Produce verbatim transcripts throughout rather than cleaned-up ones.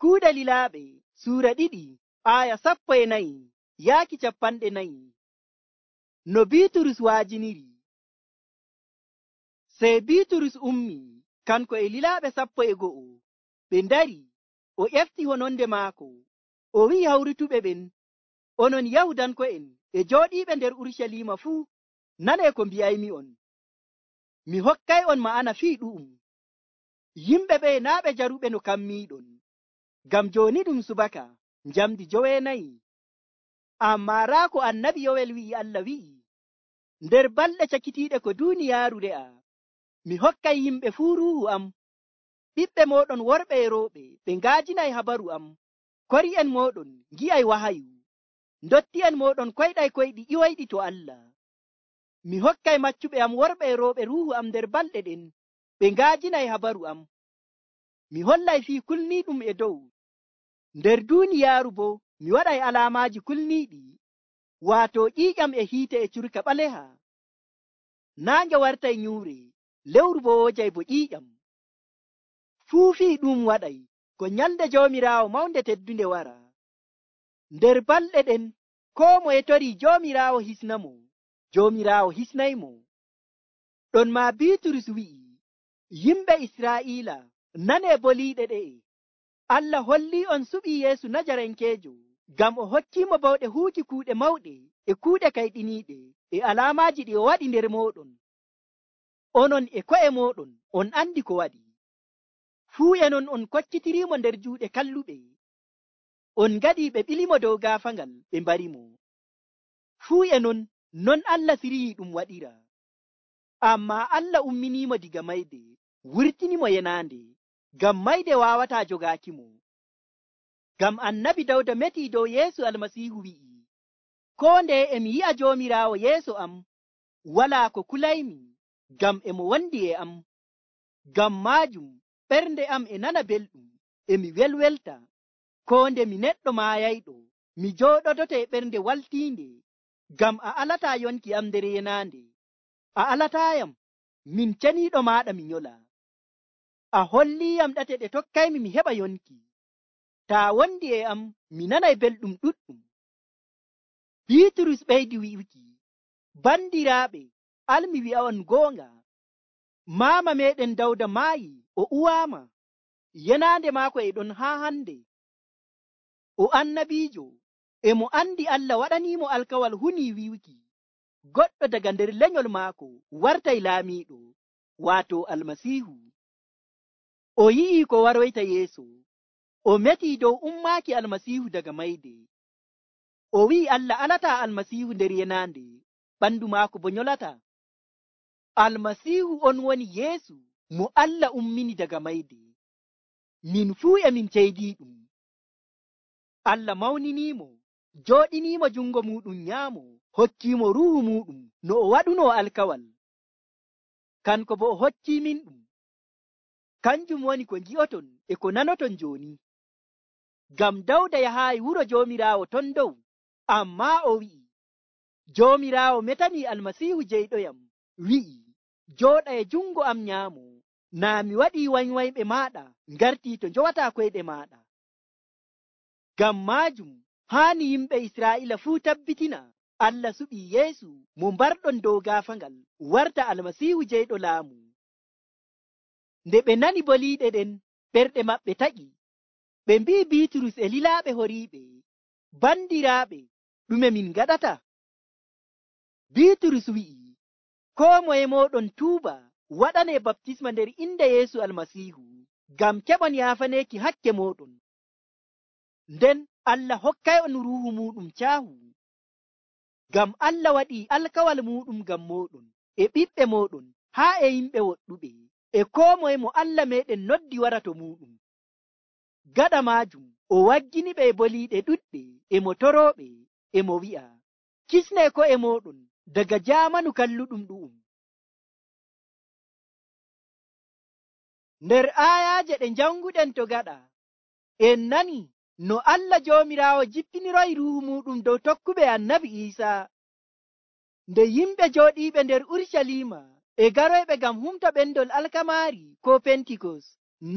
Kuuɗe Lilaaɓe suura ɗiɗi aya sappo e nayi yaaki capanɗe nayi. No Biiturus waajiniri. Sey Biiturus ummi kanko e lilaaɓe sappo e go'o ɓe ndari, o ƴefti hononde maako, o wi'i hawrutuɓe ɓen, onon Yahudanko'en e jooɗiiɓe nder Urucaliima fuu, nanee ko mbi'aymi'on. Mi hokkay'on ma'ana fii ɗu'um. Yimɓe ɓe naa ɓe jaruɓe no kammiiɗon, ngam jooni ɗum subaka njamdi joweenayi. Ammaa raa ko annabi Yowel wi'i Allah wi'i, nder balɗe cakitiiɗe ko duuniyaaru re'a, mi hokkay yimɓe fuu ruuhu am. Ɓiɓɓe mooɗon worɓe e rowɓe ɓe ngaajinay habaru am. Kori'en mooɗon ngi'ay wahayu. Ndotti'en mooɗon koyɗay koyɗi ƴiwoyɗi to Allah. Mi hokkay maccuɓe am worɓe e rowɓe ruuhu am nder balɗe ɗen, ɓe ngaajinay habaru am. Mi hollay fii kulniiɗum e dow. Nder duuniyaaru boo mi waɗay alaamaaji kulniiɗi, waato ƴiiƴam e hiite e curka ɓaleha. Naange wartay nyuure, lewru boo woojay bo ƴiiƴam. Fuu fii ɗum waɗay ko nyalnde Joomiraawo mawnde teddunde wara. Nder balɗe ɗen koo moye torii Joomiraawo hisnamo, Joomiraawo hisnaymo. Ɗonmaa Biiturus wi'i, yimɓe Israa'iila, nanee boliiɗe ɗe'e. Allah hollii'on suɓii Yeesu Najarankeejo, ngam o hokkiimo bawɗe huuki kuuɗe mawɗe e kuuɗe kayɗiniiɗe e alaamaaji ɗi o waɗi nder mooɗon. Onon e ko'e mooɗon on andi ko waɗi. Fuu e non on koccitiriimo nder juuɗe kalluɓe. On ngaɗii ɓe ɓilimo dow gaafangal ɓe mbarimo. Fuu e non non Allah siriyii ɗum waɗira. Ammaa Allah umminiimo diga mayde, wurtinimo yenaande, ngam mayde waawataa jogaakimo. Ngam annabi Dawda metii dow Yeesu Almasiihu wi'i, koo ndeye emi yi'a Joomiraawo yeeso am, walaa ko kulaymi, ngam emo wondi e am. Ngam maajum ɓernde am e nana belɗum, emi welwelta. Koo nde mi neɗɗo maayayɗo, mi jooɗodoto e ɓernde waltiinde, ngam a alataa yonki am nder yenaande. A alataayam, min ceniiɗo maaɗa mi nyola. A holliiyam ɗate ɗe tokkaymi mi heɓa yonki. Taa wondi e am, mi nanay belɗum ɗuɗɗum. Biiturus ɓeydi wi'uki, bandiraaɓe, al mi wi'a'on goonga. Maama meeɗen Dawda maayi, o uwaama. Yenaande maako e ɗon haa hande. O annabiijo, e mo andi Allah waɗaniimo alkawal hunii wi'uki, goɗɗo daga nder lenyol maako wartay laamiiɗo, waato Almasiihu. O yi'ii ko waroyta yeeso. O metii dow ummaaki Almasiihu daga mayde. O wi'i Allah alataa Almasiihu nder yenaande, ɓandu maako bo nyolata. Almasiihu on woni Yeesu mo Allah ummini daga mayde. Min fuu e min ceydii ɗum. Allah mawniniimo, jooɗiniimo jungo muuɗum nyaamo, hokkiimo ruuhu muuɗum no o waɗunoo alkawal. Kanko bo o hokkii min ɗum. Kanjum woni ko ngi'oton e ko nanoton jooni. Ngam Dawda yahaayi wuro Joomiraawo ton dow, ammaa o wi'i, Joomiraawo metanii Almasiihu jeyɗoyam, wi'i, jooɗa e jungo am nyaamo, naa mi waɗii wanywanyɓe maaɗa ngartii to njowataa koyɗe maaɗa. Ngam maajum haani yimɓe Israa'iila fuu tabbitina Allah suɓii Yeesu mo mbarɗon dow gaafangal warta Almasiihu jeyɗo laamu. Nde ɓe nani boliiɗe ɗen, ɓerɗe maɓɓe taƴi. Ɓe mbi'i Biiturus e lilaaɓe horiiɓe, bandiraaɓe, ɗume min ngaɗata? Biiturus wi'i, koo moye mooɗon tuuba waɗanee baptisma nder inde Yeesu Almasiihu, ngam keɓon yaafaneeki hakke mooɗon. Nden Allah hokkay'on ruuhu muuɗum caahu. Ngam Allah waɗii alkawal muuɗum ngam mooɗon e ɓiɓɓe mooɗon haa e yimɓe woɗɗuɓe e koo moye mo Allah meeɗen noddi wara to muuɗum. Gaɗa maajum o waggini ɓe e boliiɗe ɗuɗɗe e mo torooɓe e mo wi'a, kisnee ko'e mooɗon daga jaamanu kalluɗum ɗu'um. Nder aayaaje ɗe njanguɗen to gaɗa, en nani no Allah Joomiraawo jippiniroyi ruuhu muuɗum dow tokkuɓe annabi Iisaa. Nde yimɓe jooɗiiɓe nder Urucaliima e garoyɓe ngam humta ɓendol alkamaari ko Pentikos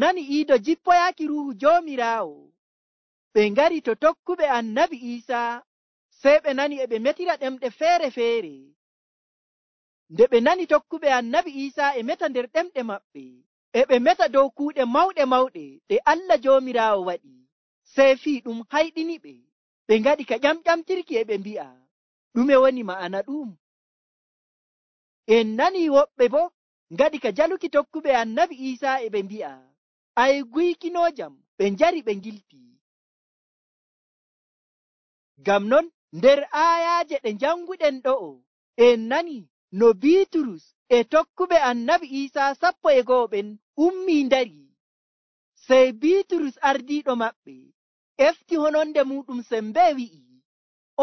nani iido jippoyaaki ruuhu Joomiraawo, ɓe ngari to tokkuɓe annabi Iisaa, sey ɓe nani e ɓe metira ɗemɗe feere feere. Nde ɓe nani tokkuɓe annabi Iisaa e meta nder ɗemɗe maɓɓe, e ɓe meta dow kuuɗe mawɗe mawɗe ɗe Allah Joomiraawo waɗi, sey fii ɗum hayɗiniɓe. Ɓe ngaɗi ka ƴamƴamtirki e ɓe mbi'a, ɗume woni ma'ana ɗum? En nani woɓɓe boo ngaɗi ka jaluki tokkuɓe annabi Iisaa e ɓe mbi'a, ay guykinoojam, ɓe njari ɓe ngilti. Ngam non nder aayaaje ɗe njanguɗen ɗo'o, en nani no Biiturus e tokkuɓe annabi Iisaa sappo e go'o ɓen ummii ndari. Sey Biiturus ardiiɗo maɓɓe efti hononde muɗum sembee wi'i,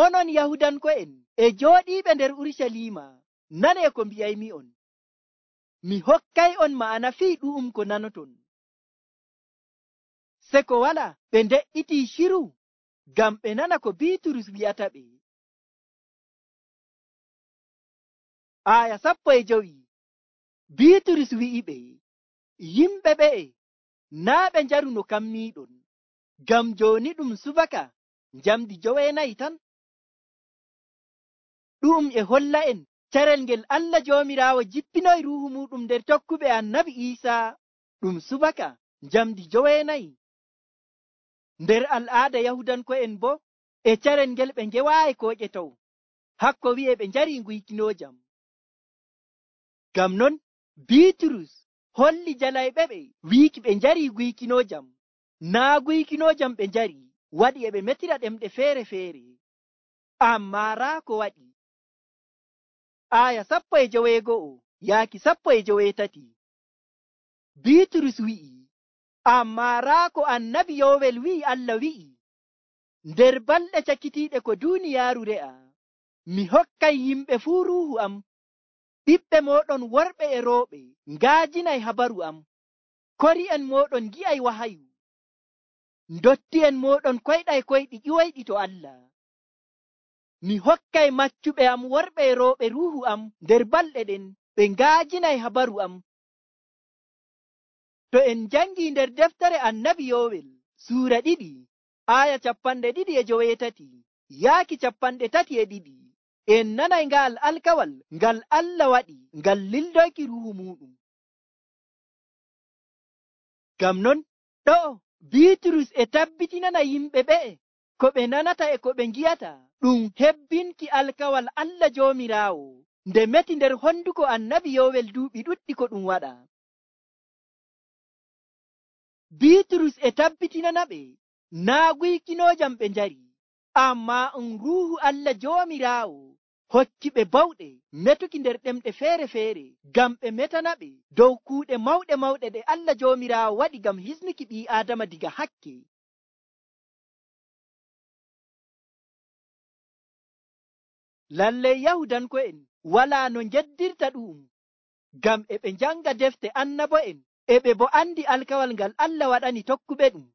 onon Yahudanko'en e jooɗiiɓe nder Urucaliima, nanee ko mbi'aymi'on. Mi hokkay'on ma'ana fii ɗu'um ko nanoton. Se ko wala ɓe nde'itii shiru ngam ɓe nana ko Biiturus wi'ata ɓe. Aaya sappo e jowi, Biiturus wi'iɓe, yimɓe ɓe'e naa ɓe njaru no kammiiɗon, ngam jooni ɗum subaka njamdi joweenayi tan. Ɗu'um e holla'en carel ngel Allah Joomiraawo jippinoyi Ruuhu muuɗum nder tokkuɓe annabi Iisaa ɗum subaka njamdi joweenayi. Nder al'aada Yahudanko'en boo e carel ngel ɓe ngewaayi koo ƴetow, hakko wi'e ɓe njarii nguykinoojam. Ngam non Biiturus holli jalayɓe ɓe wiiki ɓe njarii guykinoojam, naa guykinoojam ɓe njari waɗi e ɓe metira ɗemɗe feere feere. Ammaa raa ko waɗi. Aaya sappo e joweego'o yaaki sappo e joweetati, Biiturus wi'i, ammaa raa ko annabi Yoowel wi'i Allah wi'i, nder balɗe cakitiiɗe ko duuniyaaru re'a, mi hokkay yimɓe fuu ruuhu am. Ɓiɓɓe mooɗon worɓe e rooɓe ngaajinay habaru am. Kori'en mooɗon ngi'ay wahayu. Ndotti'en mooɗon koyɗay koyɗi ƴiwoyɗi to Allah. Mi hokkay maccuɓe am worɓe e rooɓe ruuhu am nder balɗe ɗen, ɓe ngaajinay habaru am. To en njangii nder deftere annabi Yoowel suura ɗiɗi, aaya capanɗe ɗiɗi e joweetati yaaki capanɗe tati e ɗiɗi, en nanay nga'al alkawal ngal Allah waɗi ngal lildoyki ruuhu muuɗum. Ngam non ɗo'o Biiturus e tabbitinana yimɓe ɓe'e ko ɓe nanata e ko ɓe ngi'ata ɗum hebbinki alkawal Allah Joomiraawo nde meti nder honduko annabi Yoowel duuɓi ɗuɗɗi ko ɗum waɗa. Biiturus e tabbitinana ɓe naa guykinoojam ɓe njari, ammaa um ruuhu Allah Joomiraawo hokki ɓe bawɗe metuki nder ɗemɗe feere feere ngam ɓe metana ɓe dow kuuɗe mawɗe mawɗe ɗe Allah Joomiraawo waɗi ngam hisnuki ɓii Aadama diga hakke. Lallay Yahudanko'en walaa no njeddirta ɗu'um, ngam e ɓe njanga defte annabo'en e ɓe bo andi alkawal ngal Allah waɗani tokkuɓe ɗum.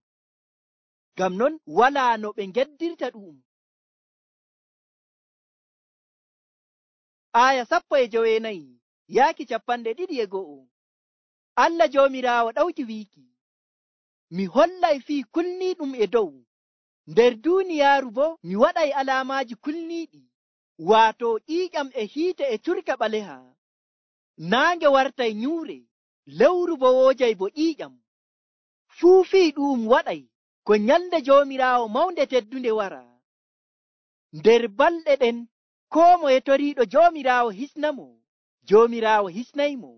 Ngam non walaa no ɓe njeddirta ɗu'um. Aaya sappo e joweenayi yaaki capanɗe ɗiɗi e go'o, Allah Joomiraawo ɗawki wiiki, mi hollay fii kulniiɗum e dow, nder duuniyaaru boo mi waɗay alaamaaji kulniiɗi, waato ƴiiƴam e hiite e curka ɓaleha. Naange wartay nyuure, lewru bo woojay bo ƴiiƴam. Fuu fii ɗu'um waɗay ko nyalnde Joomiraawo mawnde teddunde wara. Nder balɗe ɗen koo moye toriiɗo Joomiraawo hisnamo, Joomiraawo hisnaymo.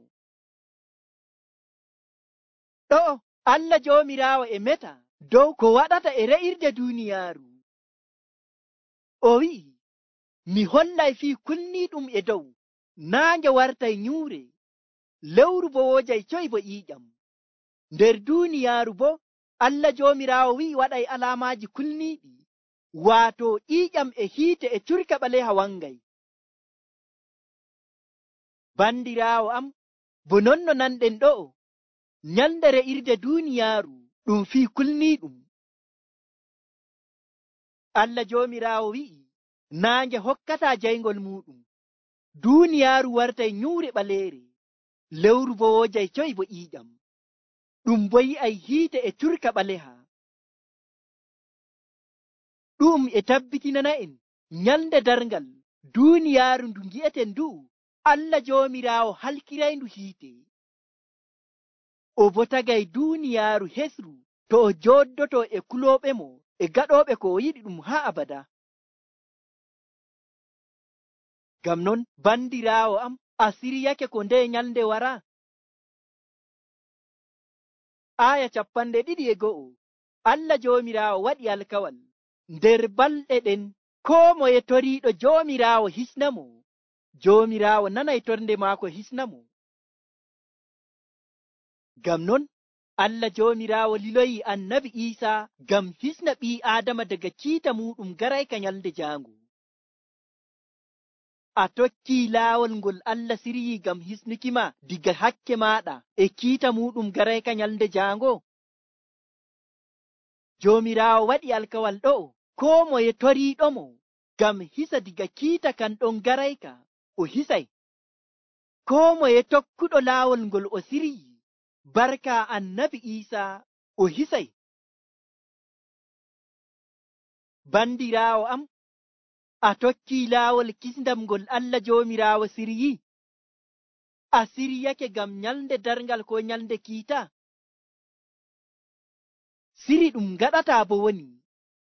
Ɗo'o Allah Joomiraawo e meta dow ko waɗata e re'irde duuniyaaru. O wi'i, mi hollay fii kulniiɗum e dow, naange wartay nyuure, lewru bo woojay coy bo ƴiiƴam. Nder duuniyaaru bo Allah Joomiraawo wi'i waɗay alaamaaji kulniiɗi, waato ƴiiƴam e hiite e curka ɓaleha wangay. Bandiraawo am, bo non no nanɗen ɗo'o, nyalnde re'irde duuniyaaru ɗum fii kulniiɗum. Allah Joomiraawo wi'i naange hokkataa jayngol muuɗum, duuniyaaru wartay nyuure ɓaleere, lewru bo woojay coy bo ƴiiƴam. Ɗum bo yi'ay hiite e curka ɓaleha. ɗum e tabbitinana'en nyalde darngal duuniyaaru ndu ngi'eten ndu Allah Joomiraawo halkirayndu hiite. O bo tagay duuniyaaru hesru to o jooddoto e kulooɓe mo e gaɗooɓe ko o yiɗi ɗum haa abada. Ngam non bandiraawo am, a siryake ko nde nyalde wara? Aya capanɗe ɗiɗi e go'o. Allah Joomiraawo waɗi alkawal nder balɗe ɗen koo moye toriiɗo Joomiraawo hisnamo, Joomiraawo nanay tornde maako hisnamo. Ngam non Allah Joomiraawo liloyi annabi Iisaa ngam hisna ɓii Aadama daga kiita muɗum garayka nyalde jaango. A tokkii laawol ngol Allah siryii ngam hisnuki ma diga hakke maaɗa e kiita muɗum garayka nyalde jaango? Joomiraawo waɗi alkawal ɗo'o, koo moye toriiɗomo ngam hisa diga kiita kan ɗon garayka, o hisay. Koo moye tokkuɗo laawol ngol o siryii barka annabi Iisaa, o hisay. Bandiraawo am, a tokkii laawol kisndam ngol Allah Joomiraawo siryii? A siryake ngam nyalde darngal ko nyalde kiita? Siri ɗum gaɗataa bo woni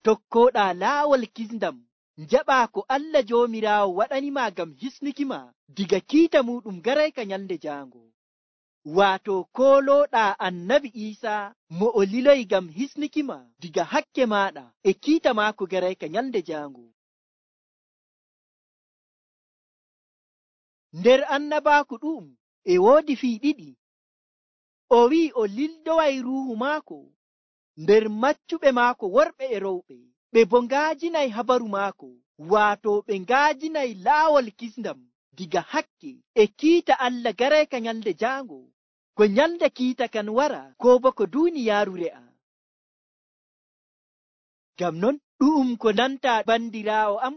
tokkoɗaa laawol kisndam, njaɓaa ko Allah Joomiraawo waɗanima ngam hisnuki ma diga kiita muɗum garayka nyalde jaango. Waato koolooɗaa annabi Iisaa mo o liloyi ngam hisnuki ma diga hakke maaɗa e kiita maako garayka nyalde jaango. Nder annabaaku ɗum e woodi fii ɗiɗi. O wi'i o lildoway ruuhu maako nder maccuɓe maako worɓe e rowɓe, ɓe bo ngaajinay habaru maako, waato ɓe ngaajinay laawol kisndam diga hakke e kiita Allah garayka nyalde jaango, ko nyalde kiita kan wara ko bo ko duuniyaaru re'a. Ngam non ɗu'um ko nanta bandiraawo am,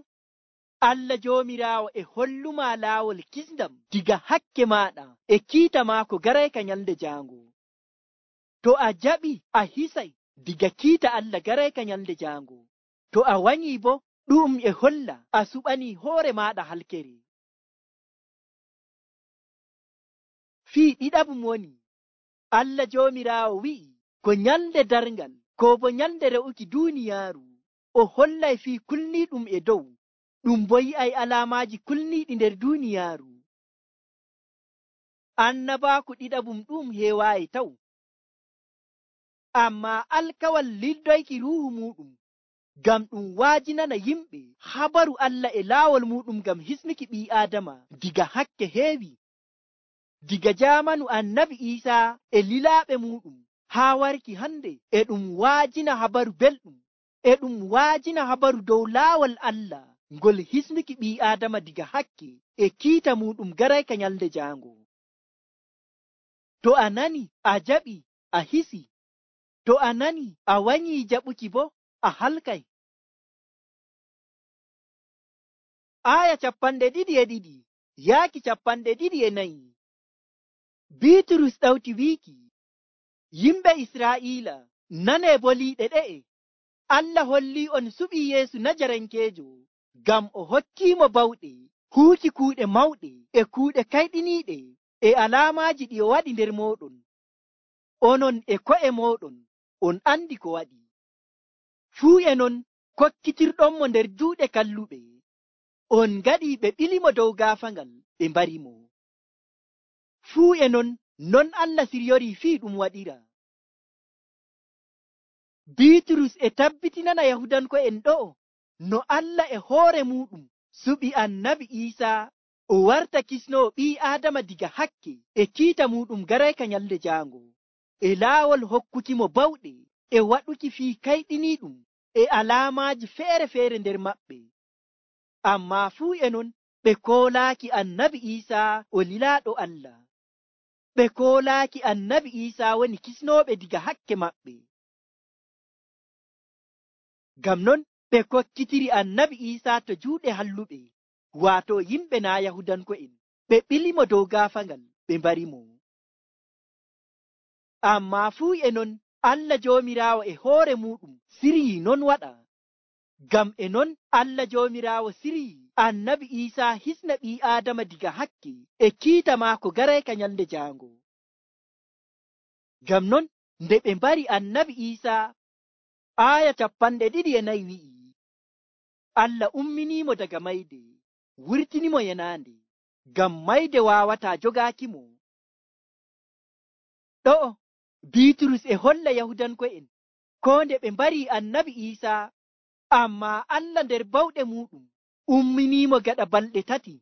Allah Joomiraawo e holluma laawol kisndam diga hakke maaɗa e kiita maako garayka nyalde jaango. To a jaɓi a hisay diga kiita Allah garayka nyalde jaango. To a wanyii bo ɗu'um e holla a suɓanii hoore maaɗa halkere. Fii ɗiɗaɓum woni Allah Joomiraawo wi'i ko nyalde darngal ko bo nyalde re'uki duuniyaaru, o hollay fii kulniiɗum e dow, ɗum bo yi'ay alaamaaji kulniiɗi nder duuniyaaru. Annabaaku ɗiɗaɓum ɗum heewaayi taw, ammaa alkawal lildoyki ruuhu muɗum ngam ɗum waajinana yimɓe habaru Allah e laawol muɗum ngam hisnuki ɓii Aadama diga hakke heewi. Diga jaamanu annabi Iisaa e lilaaɓe muɗum haa warki hande, e ɗum waajina habaru belɗum, e ɗum waajina habaru dow laawol Allah ngol hisnuki ɓii Aadama diga hakke e kiita muɗum garayka nyalde jaango. To a nani a jaɓi a hisi, to a nani a wanyii jaɓuki bo a halkay. Aya capanɗe ɗiɗi e ɗiɗi yaaki capanɗe ɗiɗi e nayi. Biiturus ɗawti wiiki, yimɓe Israa'iila, nanee boliiɗe ɗe'e. Allah hollii on suɓii Yeesu Najarankeejo ngam o hokkiimo bawɗe huuki kuuɗe mawɗe e kuuɗe kayɗiniiɗe e alaamaaji ɗi o waɗi nder mooɗon. Onon e ko'e mooɗon on andi ko waɗi. Fuu e non kokkitirɗonmo nder juuɗe kalluɓe. On ngaɗii ɓe ɓilimo dow gaafangal ɓe mbarimo. Fuu e non non Allah siryorii fii ɗum waɗira. Biiturus e tabbitinana Yahudanko'en ɗo'o no Allah e hoore muɗum suɓi annabi Iisaa o warta kisnoo ɓii Aadama diga hakke e kiita muɗum garayka nyalde jaango, e laawol hokkukimo bawɗe e waɗuki fii kayɗiniiɗum e alaamaaji feere-feere nder maɓɓe. Ammaa fuu e non ɓe koolaaki annabi Iisaa o lilaaɗo Allah. Ɓe koolaaki annabi Iisaa woni kisnooɓe diga hakke maɓɓe. Ngam non ɓe kokkitiri annabi Iisaa to juuɗe halluɓe, waato yimɓe naa Yahudanko'en, ɓe ɓilimo dow gaafangal ɓe mbarimo. Ammaa fuu e non Allah Joomiraawo e hoore muɗum siryii non waɗa. Ngam e non Allah Joomiraawo sirii annabi Iisaa hisna ɓii Aadama diga hakke e kiita maako garayka nyalnde jaango. Ngam non nde ɓe mbari annabi Iisaa, aaya capanɗe ɗiɗi e nayi wi'i, Allah umminiimo daga mayde, wurtinimo yenaande, ngam mayde waawataa jogaakimo. Ɗo'o Biiturus e holla Yahudanko'en koo nde ɓe mbari annabi Iisaa, ammaa Allah nder bawɗe muuɗum umminiimo gaɗa balɗe tati.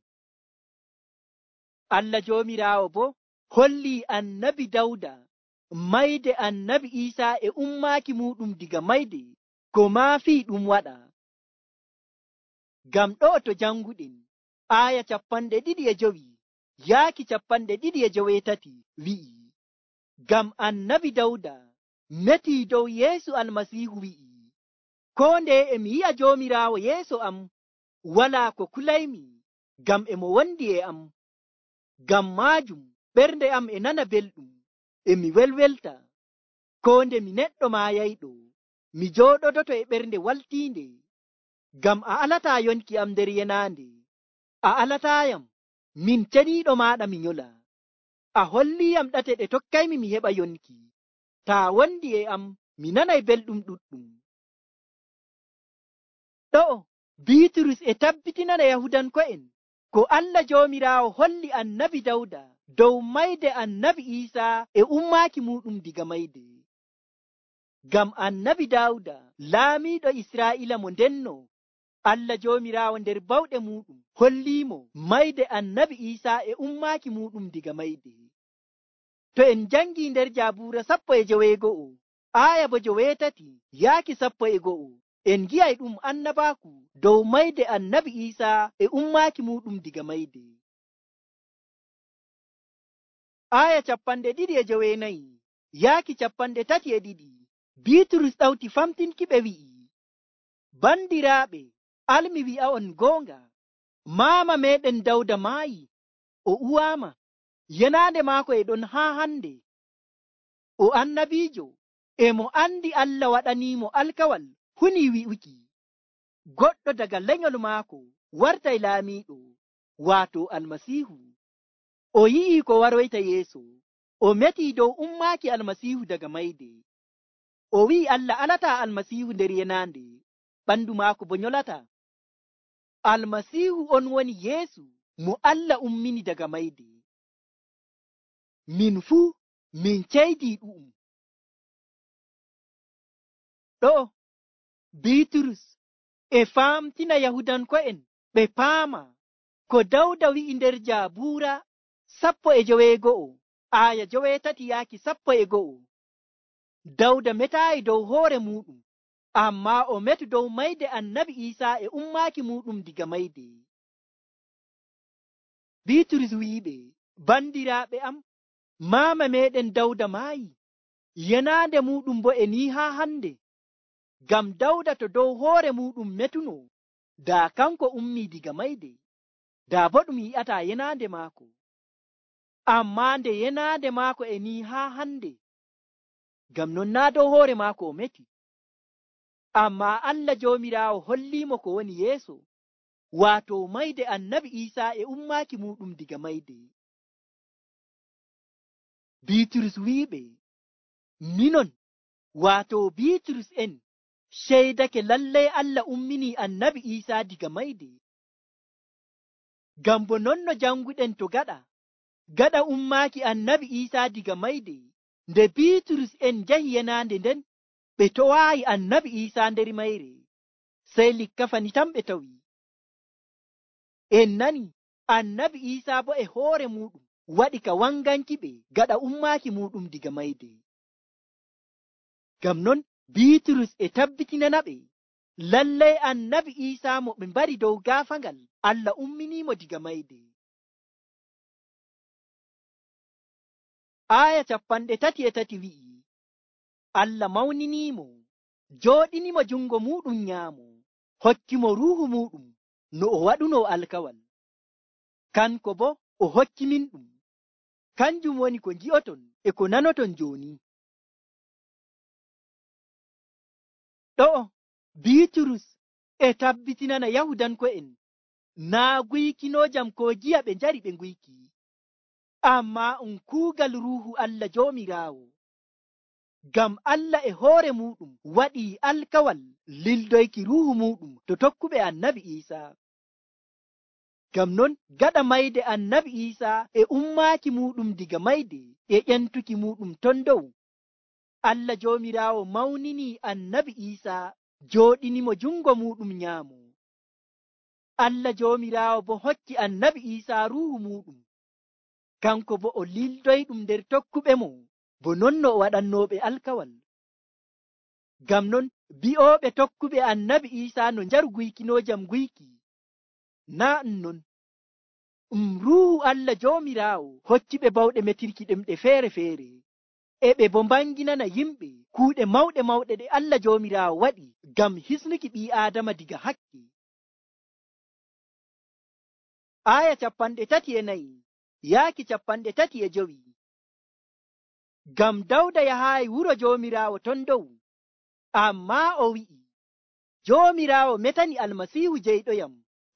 Allah Joomiraawo boo hollii annabi Dawda mayde annabi Iisaa e ummaaki muuɗum diga mayde ko maafii ɗum waɗa. Ngam ɗo'o to janguɗen aaya capanɗe ɗiɗi e jowi yaaki capanɗe ɗiɗi e joweetati wi'i, ngam annabi Dawda metii dow Yeesu Almasiihu wi'i, koo nde e mi yi'a Joomiraawo yeeso am, walaa ko kulaymi, ngam e mo wondi e am. Ngam maajum ɓernde am e nana belɗum, e mi welwelta. Koo nde mi neɗɗo maayayɗo, mi jooɗodoto e ɓernde waltiinde, ngam a alataa yonki am nder yenaande. A alataayam, min ceniiɗo maaɗa mi nyola. A holliyam ɗate ɗe tokkaymi mi heɓa yonki. Taa wondi e am, mi nanay belɗum ɗuɗɗum. Ɗo'o Biiturus e tabbitinana Yahudanko'en ko Allah Joomiraawo holli annabi Dawda dow mayde annabi Iisaa e ummaaki muuɗum diga mayde. Ngam annabi Dawda laamiiɗo Israa'iila mo ndenno, Allah Joomiraawo nder bawɗe muuɗum holliimo mayde annabi Iisaa e ummaaki muuɗum diga mayde. To en jangii nder Jaabuura sappo e joweego'o aaya bo joweetati yaaki sappo e go'o, en gi'ay ɗum annabaaku dow mayde annabi Iisaa e ummaaki muuɗum diga mayde. Aaya capanɗe ɗiɗi e joweenayi yaaki capanɗe tati e ɗiɗi, Biiturus ɗawti famtinki ɓe wi'i, bandiraaɓe, almi wi'a on goonga, maama meeɗen Dawda maayi, o uwaama, yenaande maako e ɗon haa hande. O annabiijo, e mo andi Allah waɗaniimo alkawal hunii wi'uki, goɗɗo daga lenyol maako wartay laamiiɗo, waato Almasiihu. O yi'ii ko waroyta yeeso, o metii dow ummaaki Almasiihu daga mayde. O wi'i Allah alataa Almasiihu nder yenaande, ɓandu maako bo nyolata. Almasiihu on woni Yeesu mo Allah ummini daga mayde. Min fuu min ceydii ɗu'um. Ɗo'o Biiturus e faamtina Yahudanko'en ɓe paama ko Dawda wi'i nder Jaabuura sappo e joweego'o aaya joweetati yaaki sappo e go'o. Dawda metaayi dow hoore muuɗum, ammaa o metu dow mayde annabi Iisaa e ummaaki muuɗum diga mayde. Biiturus wi'iɓe, bandiraaɓe am, maama meeɗen Dawda maayi, yenaande muuɗum bo e nii haa hande. Ngam Dawda to dow hoore muuɗum metuno, daa kanko ummii diga mayde, daa bo ɗum yi'ataa yenaande maako. Ammaa nde yenaande maako e nii haa hande, ngam non naa dow hoore maako o meti. Ammaa Allah Joomiraawo holliimo ko woni yeeso, waato mayde annabi Iisaa e ummaaki muuɗum diga mayde. Biiturus wi'iɓe, minon waato Biiturus en ceydake lallay Allah umminii annabi Iisaa diga mayde. Ngam bo non no janguɗen to gaɗa gaɗa ummaaki annabi Iisaa diga mayde, nde Biiturus en njahi yenaande nden ɓe towaayi annabi Iisaa nder mayre, sey likkafani tan ɓe tawi. En nani annabi Iisaa bo e hoore muuɗum waɗi ka wanganki ɓe gaɗa ummaaki muuɗum diga mayde. Ngam non Biiturus e tabbitinana ɓe lallay annabi Iisaa mo ɓe mbari dow gaafangal Allah umminiimo diga mayde. Aaya capanɗe tati e tati wi'i, Allah mawniniimo, jooɗinimo jungo muuɗum nyaamo, hokkimo ruuhu muuɗum no o waɗuno alkawal. Kanko bo o hokki min ɗum, kanjum woni ko ngi'oton e ko nanoton jooni. Ɗo'o Biiturus e tabbitinana yahudanko'en naa guykinojam ko giya ɓe njari ɓe guyki, amma um kuugal ruuhu Allah joomiraawo. Ngam Allah e hoore muɗum waɗii alkawal lildoyki ruuhu muɗum to tokkuɓe annabi Iisaa. Ngam non gaɗa mayde annabi Iisaa e ummaaki muɗum diga mayde e ƴentuki muɗum ton dow, Allah joomiraawo mawninii annabi Iisaa jooɗinimo jungo muɗum nyaamo. Allah joomiraawo bo hokki annabi Iisaa ruuhu muɗum, kanko bo o lildoyɗum nder tokkuɓe mo bo non no o waɗannooɓe alkawal. Ngam non bi'ooɓe tokkuɓe annabi Iisaa no njaru guykinojam guyki, naa ɗum non. Um ruuhu Allah joomiraawo hokkiɓe bawɗe metirki ɗemɗe feere-feere, e ɓe bo mbanginana yimɓe kuuɗe mawɗe mawɗe ɗe Allah joomiraawo waɗi ngam hisnuki ɓii Aadama diga hakke. Aya capanɗe tati e nayi yaaki capanɗe tati e jowi. Ngam Dawda yahaayi wuro joomiraawo ton dow, ammaa o wi'i, joomiraawo metani almasiihu jeyɗoyam,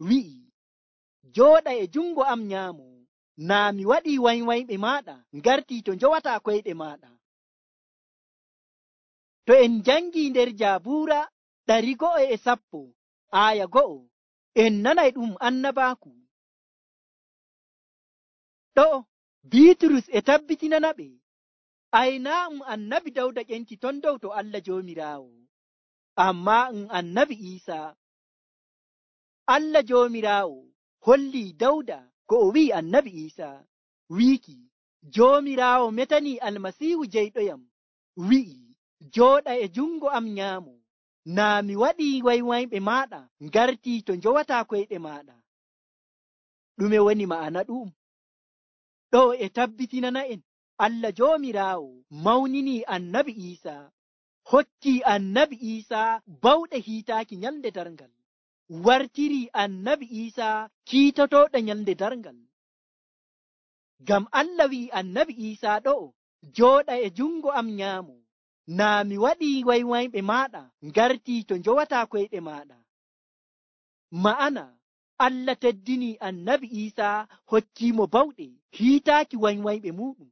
wi'i, jooɗa e jungo am nyaamo, naa mi waɗii waywayɓe maaɗa ngartii to njowataa koyɗe maaɗa. To en njangii nder Jaabuura ɗari go'o e sappo aya go'o, en nanay ɗum annabaaku. Ɗo Biiturus e tabbitinana ɓe ay naa um annabi Dawda ƴenti ton dow to Allah joomiraawo, ammaa um annabi Iisaa. Allah joomiraawo hollii Dawda ko o wi'i annabi Iisaa, wiiki, joomiraawo metanii almasiihu jeyɗoyam, wi'i, jooɗa e jungo am nyaamo, naa mi waɗii waywayɓe maaɗa ngartii to njowataa koyɗe maaɗa. Ɗume woni ma'ana ɗum? Ɗo e tabbitinana en Allah joomiraawo mawninii annabi Iisaa, hokkii annabi Iisaa bawɗe hiitaaki nyalnde darngal, wartirii annabi Iisaa kiitotooɗo nyalnde darngal. Ngam Allah wi'i annabi Iisaa ɗo'o, jooɗa e jungo am nyaamo, naa mi waɗii waywayɓe maaɗa ngartii to njowataa koyɗe maaɗa. Ma'ana Allah teddinii annabi Iisaa hokkiimo bawɗe hiitaaki waywayɓe muɗum.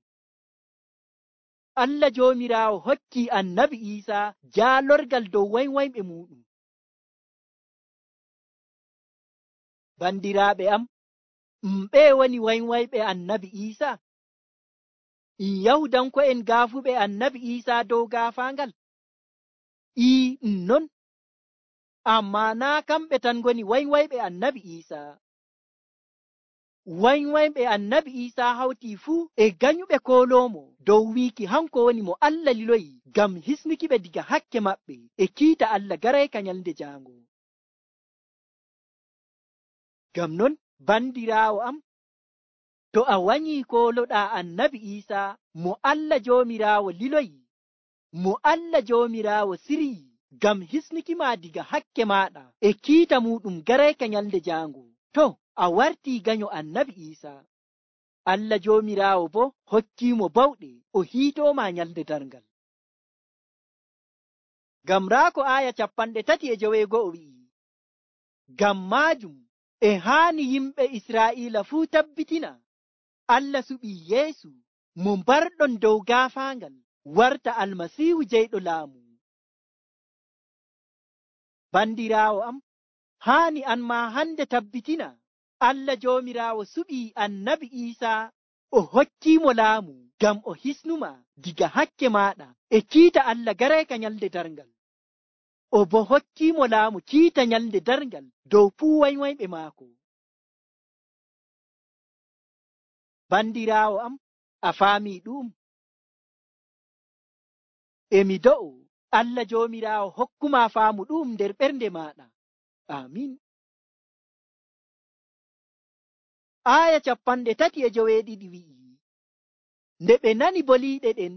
Allah joomiraawo hokkii annabi Iisaa jaalorgal dow waywayɓe muɗum. Bandiraaɓe am, ɓee woni waywayɓe annabi Iisaa? In Yahudanko'en gaafuɓe annabi Iisaa dow gaafaangal? Ii, ɗum non. Ammaa naa kamɓe tan ngoni waywayɓe annabi Iisaa. Waywayɓe annabi Iisaa hawtii fuu e ganyuɓe kooloomo dow wiiki hanko woni mo Allah liloyi ngam hisnukiɓe diga hakke maɓɓe e kiita Allah garayka nyalnde jaango. Ngam non, bandiraawo am, to a wanyii kooloɗaa annabi Iisaa mo Allah joomiraawo liloyi, mo Allah joomiraawo siryi ngam hisnukima diga hakke maaɗa e kiita muɗum garayka nyalnde jaango, to a wartii ganyo annabi Iisaa. Allah joomiraawo bo hokkiimo bawɗe o hiitooma nyalnde darngal. Ngam raako aya capanɗe tati e joweego'o wi'i, ngam maajum e haani yimɓe Israa'iila fuu tabbitina Allah suɓii Yeesu mo mbarɗon dow gaafaangal warta almasiihu jeyɗo laamu. Bandiraawo am, haani an maa hande tabbitina Allah joomiraawo suɓii annabi Iisaa o hokkiimo laamu ngam o hisnuma diga hakke maaɗa e kiita Allah garayka nyalnde darngal. O bo hokkiimo laamu kiita nyalnde darngal dow fuu waywayɓe maako. Bandiraawo am, a faamii ɗum? Emi do'o Allah joomiraawo hokkuma faamu ɗum nder ɓernde maaɗa. Amin. Aya capanɗe tati e joweeɗiɗi wi'i, nde ɓe nani boliiɗe ɗen,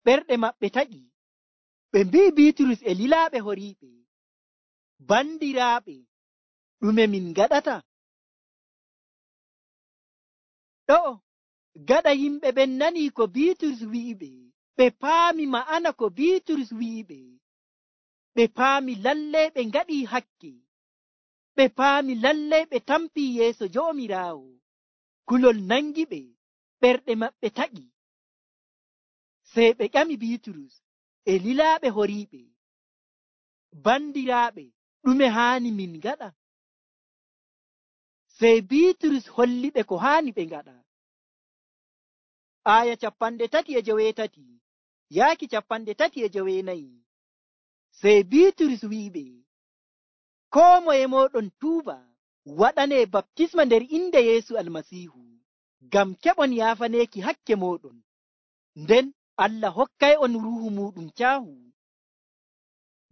ɓerɗe maɓɓe taƴi, ɓe mbi'i Biiturus e lilaaɓe horiiɓe, bandiraaɓe, ɗume min ngaɗata? Ɗo'o gaɗa yimɓe ɓen nanii ko Biiturus wi'iɓe, ɓe paami ma'ana ko Biiturus wi'iɓe, ɓe paami lallay ɓe ngaɗii hakke ɓe paami lallay ɓe tampi yeeso Joomiraawo. Kulol nangi ɓe, ɓerɗe maɓɓe taƴi. Sey ɓe ƴami Biiturus e lilaaɓe horiiɓe, bandiraaɓe, ɗume haani min ngaɗa? Sey Biiturus holliɓe ko haani ɓe ngaɗa. Aaya capanɗe tati e joweetati yaaki capanɗe tati e joweenayi. Sey Biiturus wi'iɓe, koo moye mooɗon tuuba waɗanee baptisma nder inde Yeesu Almasiihu ngam keɓon yaafaneeki hakke mooɗon, nden Allah hokkay'on ruuhu muuɗum caahu.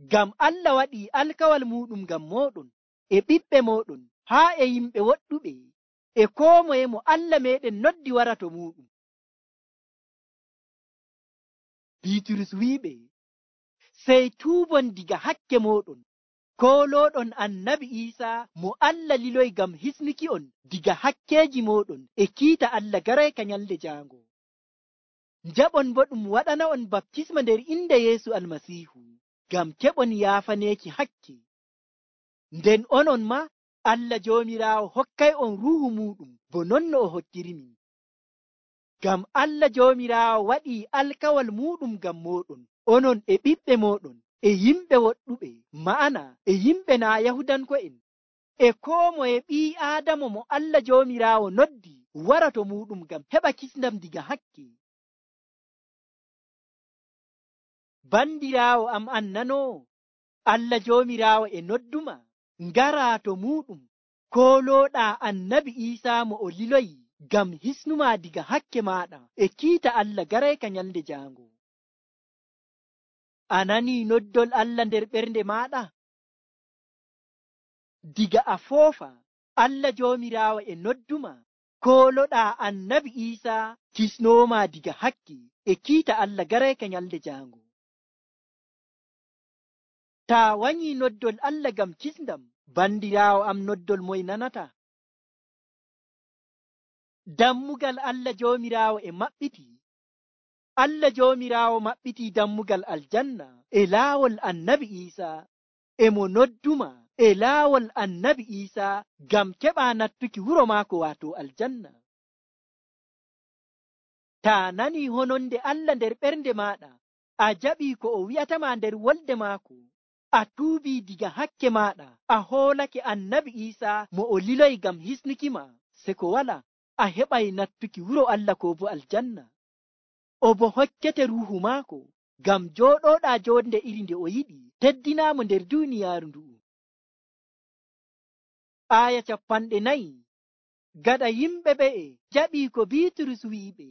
Ngam Allah waɗii alkawal muuɗum ngam mooɗon e ɓiɓɓe mooɗon haa e yimɓe woɗɗuɓe e koo moye mo Allah meeɗen noddi wara to muuɗum. Biiturus wi'iɓe, sey tuubon diga hakke mooɗon, koolooɗon annabi Iisaa mo Allah liloyi ngam hisnuki'on diga hakkeeji mooɗon e kiita Allah garayka nyalde jaango. Njaɓon boo ɗum waɗana'on baptisma nder inde Yeesu Almasiihu ngam keɓon yaafaneeki hakke. Nden onon maa Allah Joomiraawo hokkay'on ruuhu muuɗum bo non no o hokkirimin. Ngam Allah Joomiraawo waɗii alkawal muuɗum ngam mooɗon, onon e ɓiɓɓe mooɗon e yimɓe woɗɗuɓe, ma'ana e yimɓe naa Yahudanko'en, e koo moye ɓii Aadama mo Allah Joomiraawo noddi wara to muuɗum ngam heɓa kisndam diga hakke. Bandiraawo am annanoo, Allah Joomiraawo e nodduma ngaraa to muuɗum, koolooɗaa annabi Iisaa mo o liloyi ngam hisnumaa diga hakke maaɗa e kiita Allah garayka nyalde jaango. A nanii noddol Allah nder ɓernde maaɗa? Diga a foofa, Allah Joomiraawo e nodduma kooloɗaa annabi Iisaa kisnoomaa diga hakke e kiita Allah garayka nyalde jaango. Taa wanyii noddol Allah ngam kisndam, bandiraawo am, noddol moye nanata? Dammugal Allah Joomiraawo e maɓɓiti. Allah Joomiraawo maɓɓitii dammugal aljanna e laawol annabi Iisaa, e mo nodduma e laawol annabi Iisaa ngam keɓaa nattuki wuro maako waato aljanna. Taa nanii hononde Allah nder ɓernde maaɗa, a jaɓii ko o wi'atamaa nder wolde maako, a tuubii diga hakke maaɗa, a hoolake annabi Iisaa mo o liloyi ngam hisnukima, se ko wala, a heɓay nattuki wuro Allah ko bo aljanna. O bo hokkete ruuhu maako ngam jooɗooɗaa joonde iri nde o yiɗi teddinaamo nder duuniyaaru ndu'u. Aaya capanɗe nayi. Gaɗa yimɓe ɓe'e jaɓii ko Biiturus wi'iɓe,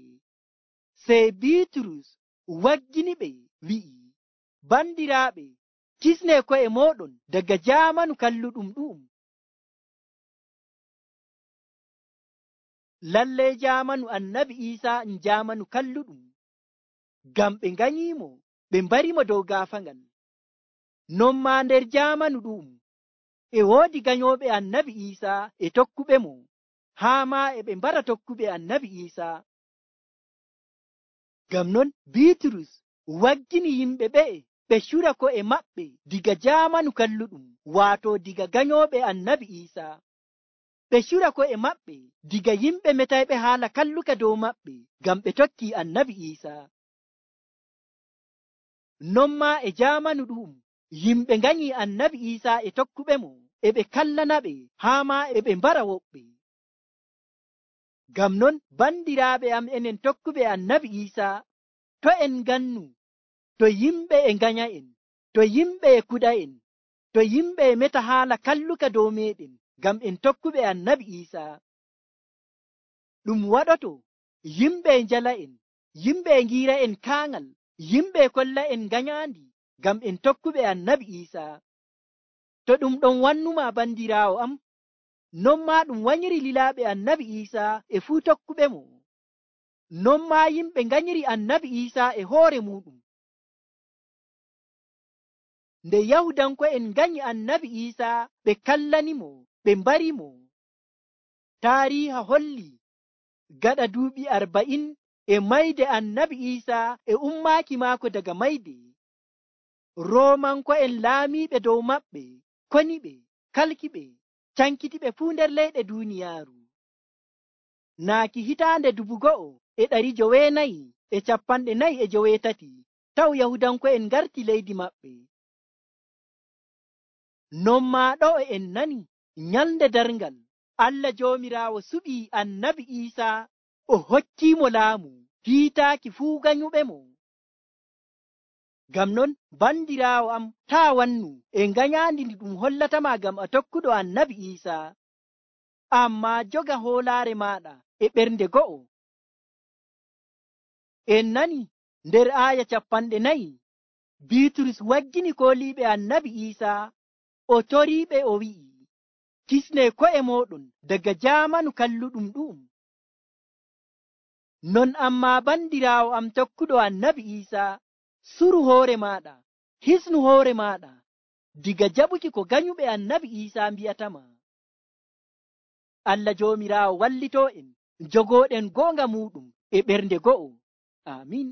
sey Biiturus waggini ɓe wi'i, bandiraaɓe, kisnee ko'e mooɗon daga jaamanu kalluɗum ɗu'um. Lallay jaamanu annabi Iisaa en jaamanu kalluɗum, ngam ɓe nganyiimo ɓe mbarimo dow gaafaangal. Non maa nder jaamanu ɗu'um e woodi ganyooɓe annabi Iisaa e tokkuɓe mo, haa maa e ɓe mbara tokkuɓe annabi Iisaa. Ngam non Biiturus waggini yimɓe ɓe'e ɓe cura ko'e maɓɓe diga jaamanu kalluɗum, waato diga ganyooɓe annabi Iisaa. Ɓe cura ko'e maɓɓe diga yimɓe metayɓe haala kalluka dow maɓɓe ngam ɓe tokkii annabi Iisaa. Non maa e jaamanu ɗu'um yimɓe nganyii annabi Iisaa e tokkuɓe mo, e ɓe kallanaɓe haa maa e ɓe mbara woɓɓe. Ngam non bandiraaɓe am, enen tokkuɓe annabi Iisaa, to en ngannu to yimɓe e nganya'en, to yimɓe e kuɗa'en, to yimɓe e meta haala kalluka dow meɗen ngam en tokkuɓe annabi Iisaa. Ɗum waɗoto yimɓe e njala'en, yimɓe e ngiira'en kaangal, yimɓe e kolla'en nganyaandi ngam en tokkuɓe annabi Iisaa. To ɗum ɗon wannumaa bandiraawo am, non maa ɗum wanyiri lilaaɓe annabi Iisaa e fuu tokkuɓe mo. Non maa yimɓe nganyiri annabi Iisaa e hoore muuɗum. Nde Yahudanko'en nganyi annabi Iisaa, ɓe kallanimo, ɓe mbarimo. Taariiha holli gaɗa duuɓi arba'in e mayde annabi Iisaa e ummaaki maako daga mayde, Roomanko'en laamiiɓe dow maɓɓe koniɓe, kalkiɓe, cankitiɓe fuu nder leyɗe duuniyaaru. Naaki hitaande dubu go'o e ɗari joweenayi e capanɗe nayi e joweetati taw Yahudanko'en ngarti leydi maɓɓe. Non maa ɗo en nani nyalnde darngal Allah Joomiraawo suɓii Annabi Iisaa o hokkiimo laamu hiitaaki fuu ganyuɓemo. Ngam non bandiraawo am, taa wannu e nganyaandi ndi ɗum hollatama ngam a tokkuɗo Annabi Iisaa, ammaa joga hoolaare maaɗa e ɓernde go'o. En nani nder aaya capanɗe nayi Biiturus waggini kooliiɓe Annabi Iisaa o toriiɓe o wi'i, kisne ko'e mooɗon daga jaamanu kalluɗum ɗu'um. Non ammaa bandiraawo am tokkuɗo Annabi Iisaa, suru hoore maaɗa, hisnu hoore maaɗa diga jaɓuki ko ganyuɓe Annabi Iisaa mbi'atama. Allah Joomiraawo wallitoo en jogooɗen goonga muuɗum e ɓernde go'o. Aamin.